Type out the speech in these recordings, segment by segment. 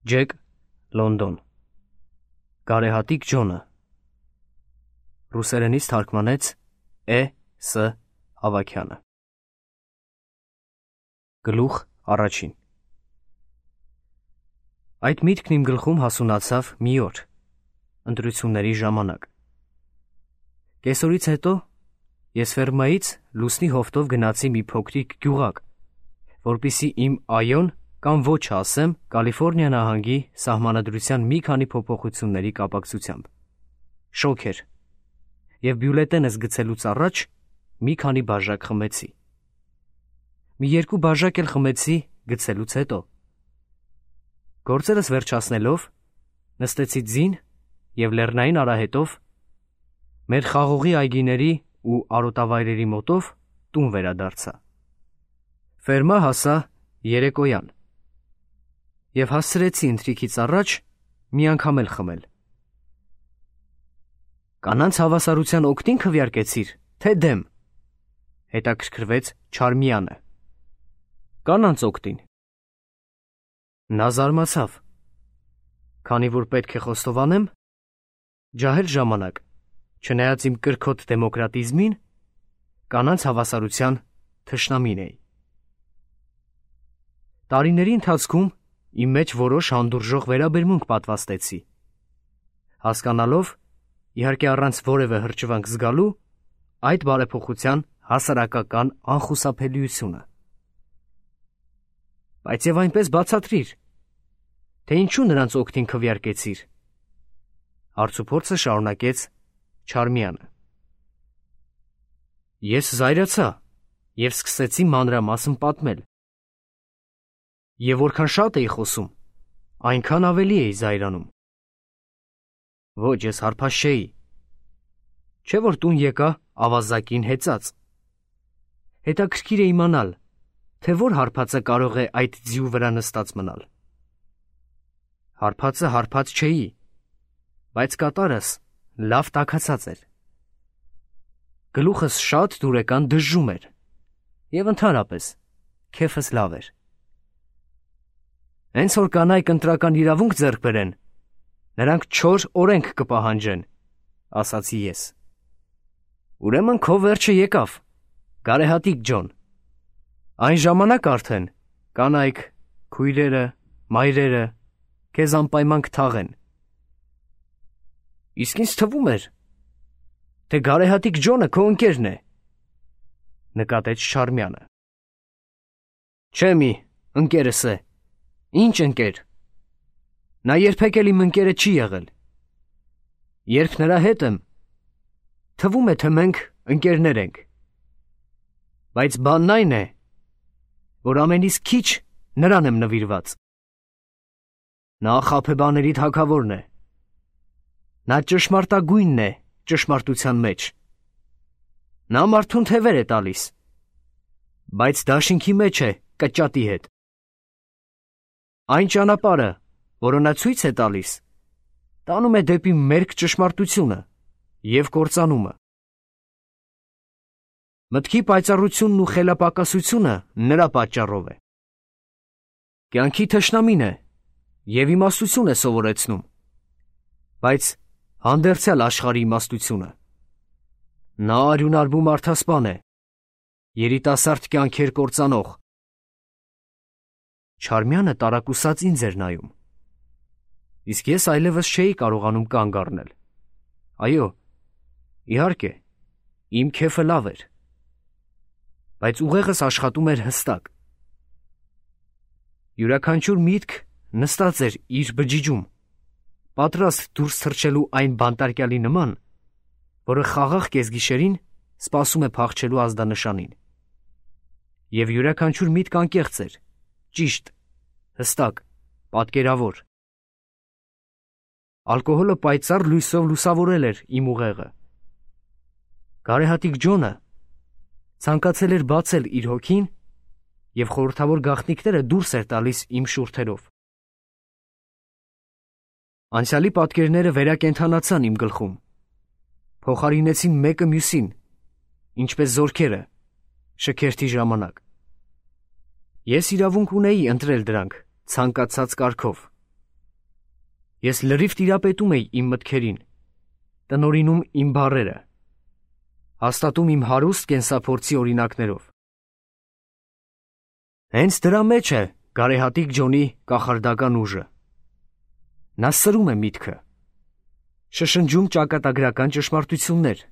Ջեք, Լոնդոն։ Գարեհատիկ Ջոնը։ Ռուսերենից թարգմանեց Է.Ս. Ավագյանը։ Գլուխ առաջին։ Այդ միտքն իմ գլխում հասունացավ մի օր, ընտրությունների ժամանակ։ Կեսօրից հետո ես ֆերմայից լուսնի հովտով գնացի մի փոքրիկ գյուղակ, որպեսզի իմ այոն կամ ոչ ասեմ Կալիֆոռնիա նահանգի սահմանադրության մի քանի փոփոխությունների կապակցությամբ։ Շոկ էր, և բյուլետենս գցելուց առաջ մի քանի բաժակ խմեցի։ Մի երկու բաժակ էլ խմեցի գցելուց հետո։ Գործերս վերջացնելով, նստեցի ձին և լեռնային արահետով մեր խաղողի այգիների ու արոտավայրերի մոտով տուն վերադարձա։ Ֆերմա հասա երեկոյան և հասցրեցի ընթրիքից առաջ մի անգամ էլ խմել։ «Կանանց հավասարության օգտին քվեարկեցիր, թե դեմ», հետաքրքրվեց Չարմյանը։ «Կանանց օգտին»։ Նա զարմացավ, քանի որ պետք է խոստովանեմ, ջահել ժամանակ, չնայած իմ կրքոտ դեմոկրատիզմին, կանանց հավասարության թշնամին էի։ Տարիների ընթացքում իմ մեջ որոշ հանդուրժող վերաբերմունք պատվաստեցի, հասկանալով, իհարկե առանց որևէ հրճվանք զգալու, այդ բարեփոխության հասարակական անխուսափելիությունը։ Բայց և այնպես բացատրիր, թե ինչու նրանց օգտին քվեարկեցիր, հարցուփորձը շարունակեց Չարմյանը։ Ես զայրացա և սկսեցի մանրամասն պատմել։ Եվ որքան շատ էի խոսում, այնքան ավելի էի զայրանում։ Ոչ, ես հարբած չէի, չէ որ տուն եկա ավազակին հեծած։ Հետաքրքիր է իմանալ, թե որ հարբածը կարող է այդ ձիու վրա նստած մնալ։ Հարբածը հարբած չէի, բայց կատարս լավ տաքացած էր։ Գլուխս շատ դուրեկան դժժում էր, և ընդհանրապես քեֆս լավ էր։ Հենց որ կանայք ընտրական իրավունք ձեռք բերեն, նրանք չոր օրենք կպահանջեն, ասացի ես։ Ուրեմն քո վերջը եկավ, Գարեհատիկ Ջոն։ Այն ժամանակ արդեն կանայք, քույրերը, մայրերը քեզ անպայման կթաղեն։ Իսկ ինձ թվում էր, թե Գարեհատիկ Ջոնը քո ընկերն է, նկատեց Չարմյանը։ Չէ մի, ընկերս է։ Ինչ ընկեր։ Նա երբեք էլ իմ ընկերը չի եղել։ Երբ նրա հետ եմ, թվում է, թե մենք ընկերներ ենք։ Բայց բանն այն է, որ ամենից քիչ նրան եմ նվիրված։ Նա խաբեբաների թագավորն է։ Նա ճշմարտագույնն է ճշմարտության մեջ։ Նա մարդուն թևեր է տալիս, բայց դաշինքի մեջ է կճատի հետ։ Այն ճանապարհը, որը նա ցույց է տալիս, տանում է դեպի մերկ ճշմարտությունը և կործանումը։ Մտքի պայծառությունն ու խելապակասությունը նրա պատճառով է։ Կյանքի թշնամին է և իմաստություն է սովորեցնում, բայց հանդերձյալ աշխարհի իմաստությունը։ Նա արյունարբու մարդասպան է, երիտասարդ կյանքեր կործանող։ Չարմյանը տարակուսած ինձ էր նայում, իսկ ես այլևս չէի կարողանում կանգ առնել։ Այո, իհարկե, իմ քեֆը լավ էր, բայց ուղեղս աշխատում էր հստակ։ Յուրաքանչյուր միտք նստած էր իր բջիջում, պատրաստ դուրս թռչելու այն բանտարկյալի նման, որը խաղաղ կեսգիշերին սպասում է փախչելու ազդանշանին։ Եվ յուրաքանչյուր միտք անկեղծ էր, ճիշտ, հստակ, պատկերավոր։ Ալկոհոլը պայծառ լույսով լուսավորել էր իմ ուղեղը։ Գարեհատիկ Ջոնը ցանկացել էր բացել իր հոգին և խորհրդավոր գաղտնիքները դուրս էր տալիս իմ շուրթերով։ Անցյալի պատկերները վերակենդանացան իմ գլխում, փոխարինեցին մեկը մյուսին, ինչպես զորքերը, շքերթի ժամանակ։ Ես իրավունք ունեի ընտրել դրանք ցանկացած կարգով, Ես լրիվ տիրապետում էի իմ մտքերին, տնօրինում իմ բառերը, հաստատում իմ հարուստ կենսափորձի օրինակներով։ Հենց դրա մեջ է գարեհատիկ Ջոնի կախարդական ուժը։ Նա սրում է միտքը, շշնջում ճակատագրական ճշմարտություններ,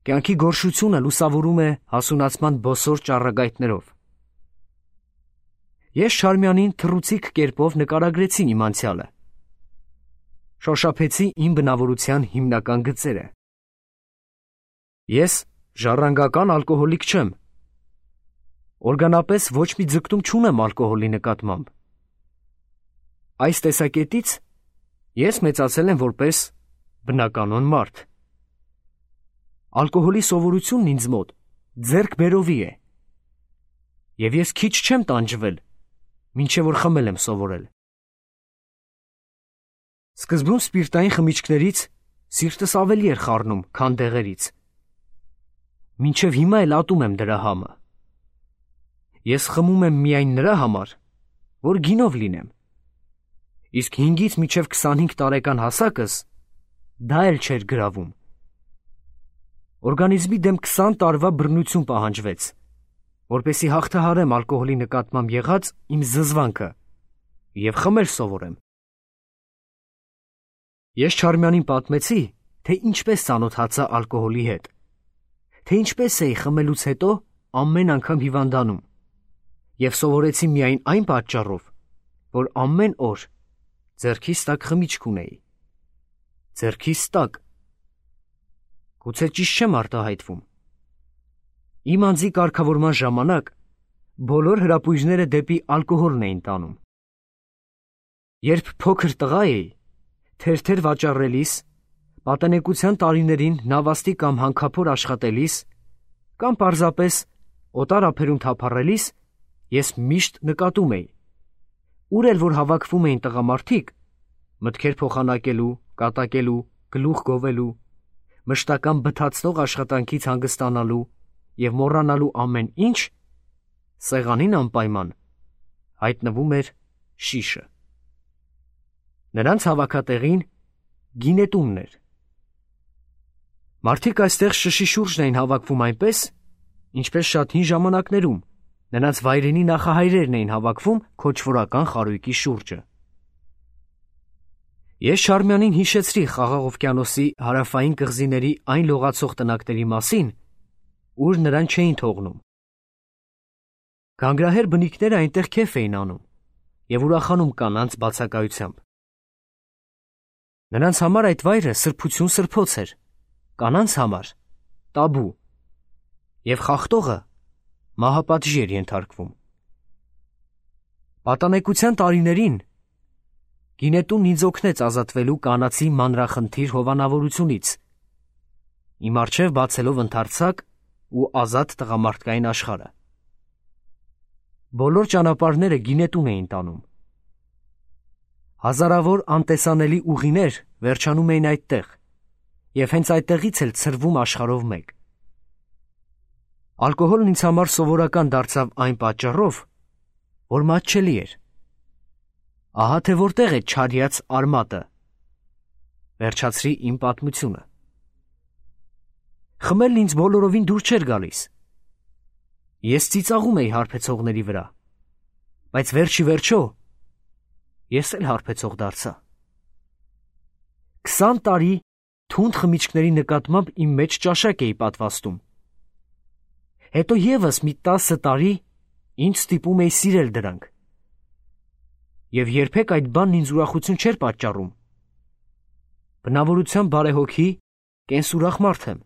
կյանքի գորշությունը լուսավորում է հասունացման բոսոր ճառագայթներով։ Ես Չարմյանին թռուցիկ կերպով նկարագրեցի իմ անցյալը, շոշափեցի իմ բնավորության հիմնական գծերը։ Ես ժառանգական ալկոհոլիկ չեմ, օրգանապես ոչ մի ձգտում չունեմ ալկոհոլի նկատմամբ։ Այս տեսակետից ես մեծացել եմ որպես բնականոն մարդ։ Ալկոհոլի սովորությունն ինձ մոտ ձեռքբերովի է, և ես քիչ չեմ տանջվել, մինչև որ խմել եմ սովորել։ Սկզբում սպիրտային խմիչքներից սիրտս ավելի էր խառնում, քան դեղերից։ Մինչև հիմա էլ ատում եմ դրա համը։ Ես խմում եմ միայն նրա համար, որ գինով լինեմ, իսկ 5-ից մինչև 25 տարեկան հասակս դա էլ չէր գրավում։ Օրգանիզմի դեմ 20 տարվա բռնություն պահանջվեց, որպեսզի հաղթահարեմ ալկոհոլի նկատմամբ եղած իմ զզվանքը և խմել սովորեմ։ Ես Չարմյանին պատմեցի, թե ինչպես ծանոթացա ալկոհոլի հետ, թե ինչպես էի խմելուց հետո ամեն անգամ հիվանդանում, և սովորեցի միայն այն պատճառով, որ ամեն օր ձեռքիս տակ խմիչք ունեի։ Ձեռքիս տակ։ Գուցե ճիշտ չեմ արտահայտվում։ Իմ անձի կարգավորման ժամանակ բոլոր հրապույրները դեպի ալկոհոլն էին տանում։ Երբ փոքր տղա էի, թերթեր վաճառելիս, պատանեկության տարիներին նավաստի կամ հանքափոր աշխատելիս, կամ պարզապես օտար ափերում թափառելիս, ես միշտ նկատում էի, ուր էլ որ հավաքվում էին տղամարդիկ, մտքեր փոխանակելու, կատակելու, գլուխ գովելու, մշտական բթացնող աշխատանքից հանգստանալու և մոռանալու ամեն ինչ, սեղանին անպայման հայտնվում էր շիշը։ Նրանց հավաքատեղին գինետունն էր։ Մարդիկ այստեղ շշի շուրջն էին հավաքվում այնպես, ինչպես շատ հին ժամանակներում նրանց վայրենի նախահայրերն էին հավաքվում քոչվորական խարույկի շուրջը։ Ես Չարմյանին հիշեցրի Խաղաղ օվկիանոսի հարավային կղզիների այն լողացող տնակների մասին, ուր նրան չէին թողնում։ Գանգրահեր բնիկները այնտեղ քեֆ էին անում և ուրախանում կանանց բացակայությամբ։ Նրանց համար այդ վայրը սրբություն սրբոց էր, կանանց համար տաբու, և խախտողը մահապատժի էր ենթարկվում։ Պատանեկության տարիներին գինետունն ինձ օգնեց ազատվելու կանացի մանրախնդիր հովանավորությունից, իմ առջև բացելով ընդարձակ ու ազատ տղամարդկային աշխարհը։ Բոլոր ճանապարհները գինետուն էին տանում։ Հազարավոր անտեսանելի ուղիներ վերջանում էին այդտեղ, և հենց այդտեղից էլ ցրվում աշխարհով մեկ։ Ալկոհոլն ինձ համար սովորական դարձավ այն պատճառով, որ մատչելի էր։ Ահա թե որտեղ է չարյաց արմատը, վերջացրի իմ պատմությունը։ Խմելն ինձ բոլորովին դուր չէր գալիս։ Ես ծիծաղում էի հարբեցողների վրա, բայց վերջի վերջո ես էլ հարբեցող դարձա։ 20 տարի թունդ խմիչքների նկատմամբ իմ մեջ ճաշակ էի պատվաստում։ Հետո ևս մի 10 տարի ինձ ստիպում էի սիրել դրանք։ Եվ երբեք այդ բանն ինձ ուրախություն չէր պատճառում։ Բնավորությամբ բարեհոգի, կենսուրախ մարդ եմ։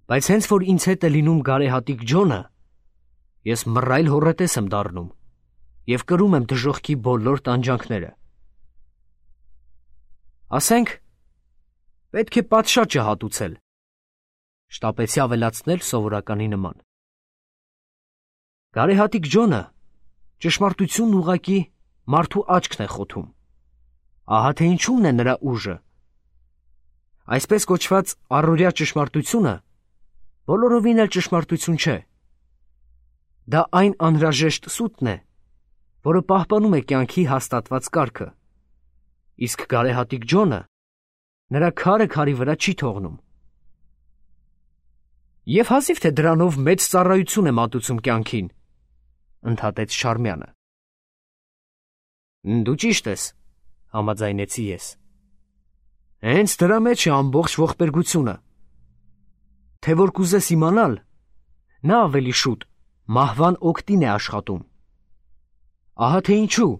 Բայց հենց որ ինձ հետ է լինում գարեհատիկ Ջոնը, ես մռայլ հոռետես եմ դառնում և կրում եմ դժոխքի բոլոր տանջանքները։ Ասենք, պետք է պատշաճը հատուցել, շտապեցի ավելացնել սովորականի նման։ Գարեհատիկ Ջոնը ճշմարտությունն ուղղակի մարդու աչքն է խոթում։ Ահա թե ինչումն է նրա ուժը։ Այսպես կոչված առօրյա ճշմարտությունը բոլորովին էլ ճշմարտություն չէ։ Դա այն անհրաժեշտ սուտն է, որը պահպանում է կյանքի հաստատված կարգը, իսկ գարեհատիկ Ջոնը նրա քարը քարի վրա չի թողնում։ Եվ հազիվ թե դրանով մեծ ծառայություն է մատուցում կյանքին, ընդհատեց Չարմյանը։ Դու ճիշտ ես, համաձայնեցի ես։ Հենց դրա մեջ է ամբողջ ողբերգությունը։ Թե որ կուզես իմանալ, նա ավելի շուտ մահվան օգտին է աշխատում։ Ահա թե ինչու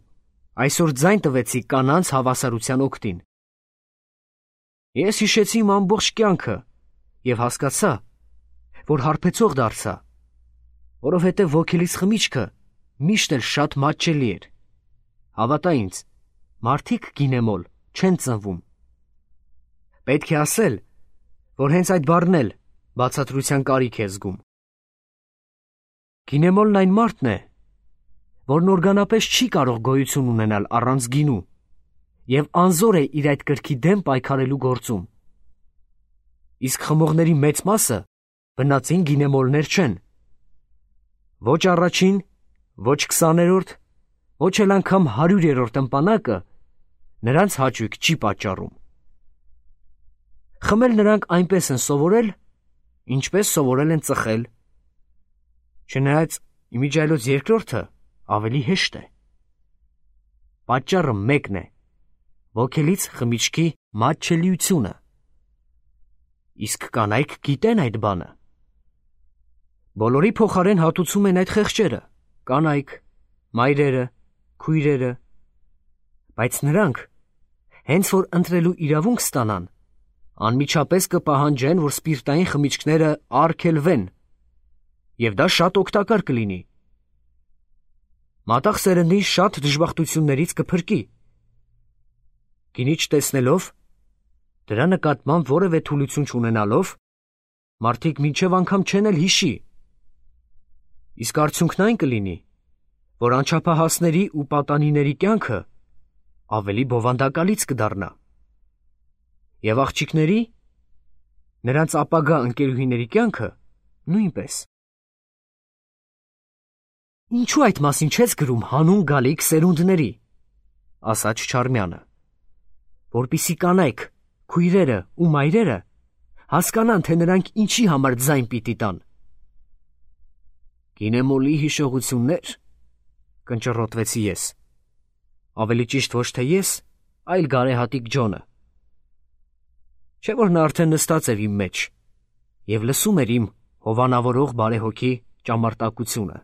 այսօր ձայն տվեցի կանանց հավասարության օգտին։ Ես հիշեցի իմ ամբողջ կյանքը և հասկացա, որ հարբեցող դարձա, որովհետև ոգելից խմիչքը միշտ էլ շատ մատչելի էր։ Հավատա ինձ, մարդիկ գինեմոլ չեն ծնվում։ Պետք է ասել, որ հենց այդ բառն էլ բացատրության կարիք է զգում։ Գինեմոլն այն մարդն է, որն օրգանապես չի կարող գոյություն ունենալ առանց գինու և անզոր է իր այդ կրքի դեմ պայքարելու գործում։ Իսկ խմողների մեծ մասը բնածին գինեմոլներ չեն։ Ոչ առաջին, ոչ 20-րդ, ոչ էլ անգամ 100-րդ ըմպանակը նրանց հաճույք չի պատճառում։ Խմել նրանք այնպես են սովորել, ինչպես սովորել են ծխել։ Չնայած իմիջիայլոց երկրորդը ավելի հեշտ է։ Պատճառը մեկն է՝ ոգելից խմիչքի մատչելիությունը։ Իսկ կանայք գիտեն այդ բանը։ Բոլորի փոխարեն հատուցում են այդ խեղճերը՝ կանայք, մայրերը, քույրերը։ Բայց նրանք, հենց որ ընտրելու իրավունք ստանան, անմիջապես կպահանջեն, որ սպիրտային խմիչքները արգելվեն, և դա շատ օգտակար կլինի։ Մատաղ սերնդին շատ դժբախտություններից կփրկի։ Գինի չտեսնելով, դրա նկատմամբ որևէ թուլություն չունենալով, մարդիկ մինչև անգամ չեն էլ հիշի։ Իսկ արդյունքն այն կլինի, որ անչափահասների ու պատանիների կյանքը ավելի բովանդակալից կդառնա։ Եվ աղջիկների, նրանց ապագա ընկերուհիների կյանքը նույնպես։ Ինչու այդ մասին չես գրում հանուն գալիք սերունդների, ասաց Չարմյանը, որպեսզի կանայք, քույրերը ու մայրերը հասկանան, թե նրանք ինչի համար ձայն պիտի տան։ Գինեմոլի հիշողություններ, կնճռոտվեցի ես։ Ավելի ճիշտ ոչ թե ես, այլ գարեհատիկ Ջոնը։ Չէ՞ որ նա արդեն նստած էր իմ մեջ և լսում էր իմ հովանավորող բարեհոգի ճամարտակությունը։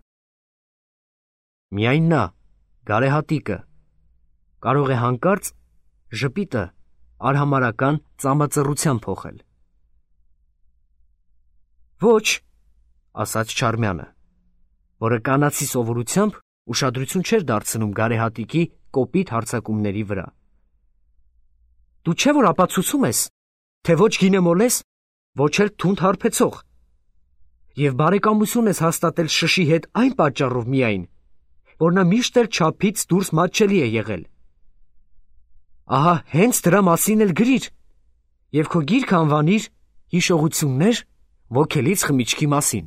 Միայն նա, գարեհատիկը, կարող է հանկարծ ժպիտը արհամարհական ծամածռության փոխել։ Ոչ, ասաց Չարմյանը, որը կանացի սովորությամբ ուշադրություն չէր դարձնում գարեհատիկի կոպիտ հարձակումների վրա։ Դու չէ՞ որ ապացուցում ես, թե ոչ գինեմոլ ես, ոչ էլ թունդ հարբեցող, և բարեկամություն ես հաստատել շշի հետ այն պատճառով միայն, որ նա միշտ էլ չափից դուրս մատչելի է եղել։ Ահա հենց դրա մասին էլ գրիր և քո գիրքը անվանիր «Հիշողություններ ոգելից խմիչքի մասին»։